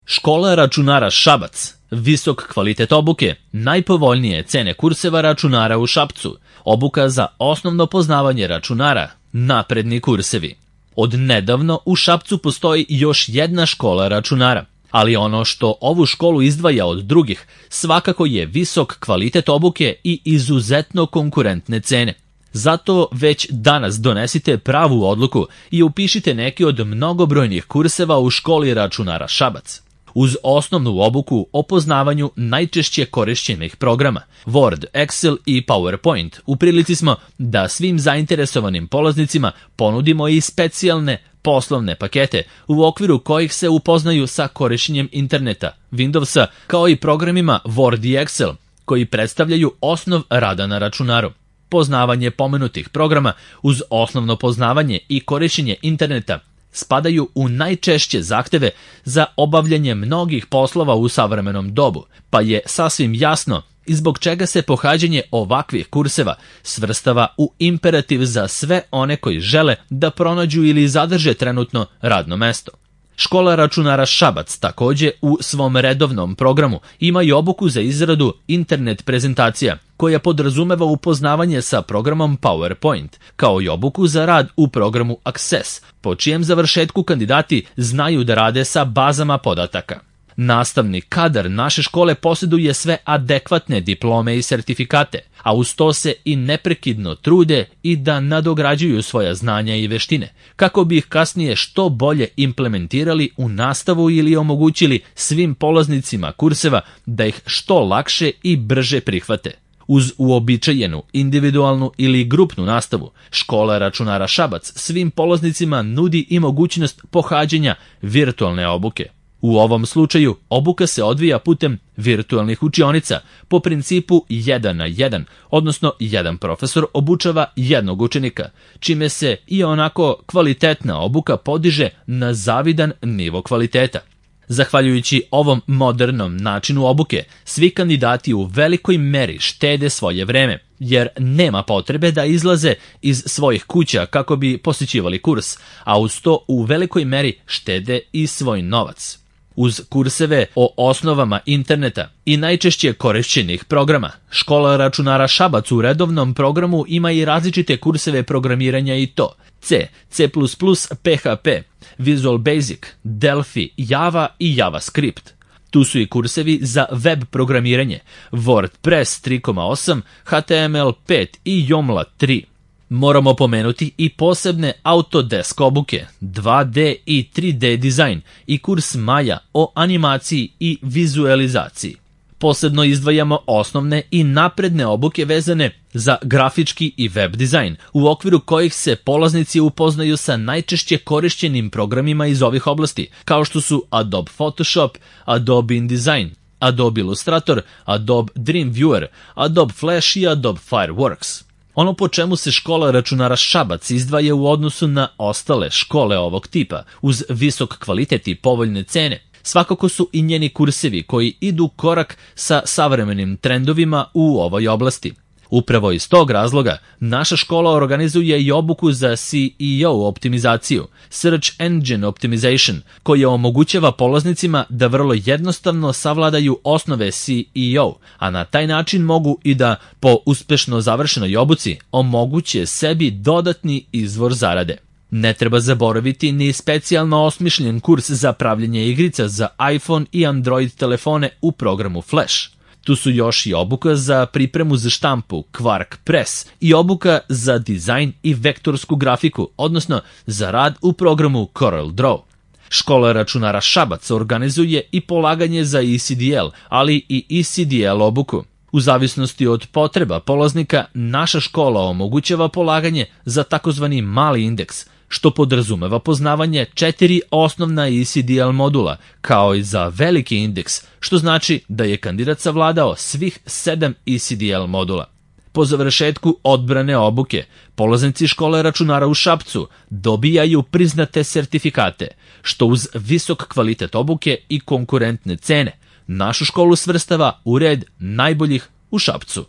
Škola računara Šabac, visok kvalitet obuke, najpovoljnije cene kurseva računara u Šapcu, obuka za osnovno poznavanje računara, napredni kursevi. Od nedavno u Šapcu postoji još jedna škola računara, ali ono što ovu školu izdvaja od drugih svakako je visok kvalitet obuke i izuzetno konkurentne cene. Zato već danas donesite pravu odluku i upišite neki od mnogobrojnih kurseva u školi računara Šabac. Uz osnovnu obuku o poznavanju najčešće korišćenih programa Word, Excel i PowerPoint, u prilici smo da svim zainteresovanim polaznicima ponudimo i specijalne poslovne pakete u okviru kojih se upoznaju sa korišćenjem interneta, Windowsa, kao i programima Word i Excel, koji predstavljaju osnov rada na računaru. Poznavanje pomenutih programa uz osnovno poznavanje i korišćenje interneta spadaju u najčešće zahteve za obavljanje mnogih poslova u savremenom dobu, pa je sasvim jasno i zbog čega se pohađanje ovakvih kurseva svrstava u imperativ za sve one koji žele da pronađu ili zadrže trenutno radno mesto. Škola računara Šabac također u svom redovnom programu ima i obuku za izradu internet prezentacija, koja podrazumeva upoznavanje sa programom PowerPoint, kao i obuku za rad u programu Access, po čijem završetku kandidati znaju da rade sa bazama podataka. Nastavni kadar naše škole posjeduje sve adekvatne diplome i sertifikate, a uz to se i neprekidno trude i da nadograđuju svoja znanja i veštine, kako bi ih kasnije što bolje implementirali u nastavu ili omogućili svim polaznicima kurseva da ih što lakše i brže prihvate. Uz uobičajenu, individualnu ili grupnu nastavu, škola računara Šabac svim polaznicima nudi i mogućnost pohađanja virtualne obuke. U ovom slučaju obuka se odvija putem virtualnih učionica po principu 1 na 1, odnosno jedan profesor obučava jednog učenika, čime se i onako kvalitetna obuka podiže na zavidan nivo kvaliteta. Zahvaljujući ovom modernom načinu obuke, svi kandidati u velikoj meri štede svoje vreme, jer nema potrebe da izlaze iz svojih kuća kako bi posjećivali kurs, a uz to u velikoj meri štede i svoj novac. Uz kurseve o osnovama interneta i najčešće korišćenih programa, škola računara Šabac u redovnom programu ima i različite kurseve programiranja i to C, C++, PHP, Visual Basic, Delphi, Java i JavaScript. Tu su i kursevi za web programiranje, WordPress 3.8, HTML5 i Joomla 3. Moramo pomenuti i posebne Autodesk obuke, 2D i 3D dizajn i kurs Maya o animaciji i vizualizaciji. Posebno izdvajamo osnovne i napredne obuke vezane za grafički i web dizajn, u okviru kojih se polaznici upoznaju sa najčešće korišćenim programima iz ovih oblasti, kao što su Adobe Photoshop, Adobe InDesign, Adobe Illustrator, Adobe Dreamweaver, Adobe Flash i Adobe Fireworks. Ono po čemu se škola računara Šabac izdvaja u odnosu na ostale škole ovog tipa, uz visok kvalitet i povoljne cene, svakako su i njeni kursevi koji idu korak sa savremenim trendovima u ovoj oblasti. Upravo iz tog razloga naša škola organizuje i obuku za SEO optimizaciju, Search Engine Optimization, koja omogućava polaznicima da vrlo jednostavno savladaju osnove SEO, a na taj način mogu i da po uspešno završenoj obuci omoguće sebi dodatni izvor zarade. Ne treba zaboraviti ni specijalno osmišljen kurs za pravljenje igrica za iPhone i Android telefone u programu Flash. Tu su još i obuka za pripremu za štampu Quark Press i obuka za dizajn i vektorsku grafiku, odnosno za rad u programu Corel Draw. Škola računara Šabac organizuje i polaganje za ECDL, ali i ECDL obuku. U zavisnosti od potreba polaznika, naša škola omogućava polaganje za takozvani mali indeks, što podrazumeva poznavanje 4 osnovna ECDL modula, kao i za veliki indeks, što znači da je kandidat savladao svih 7 ECDL modula. Po završetku odbrane obuke, polaznici škole računara u Šapcu dobijaju priznate sertifikate, što uz visok kvalitet obuke i konkurentne cene našu školu svrstava u red najboljih u Šapcu.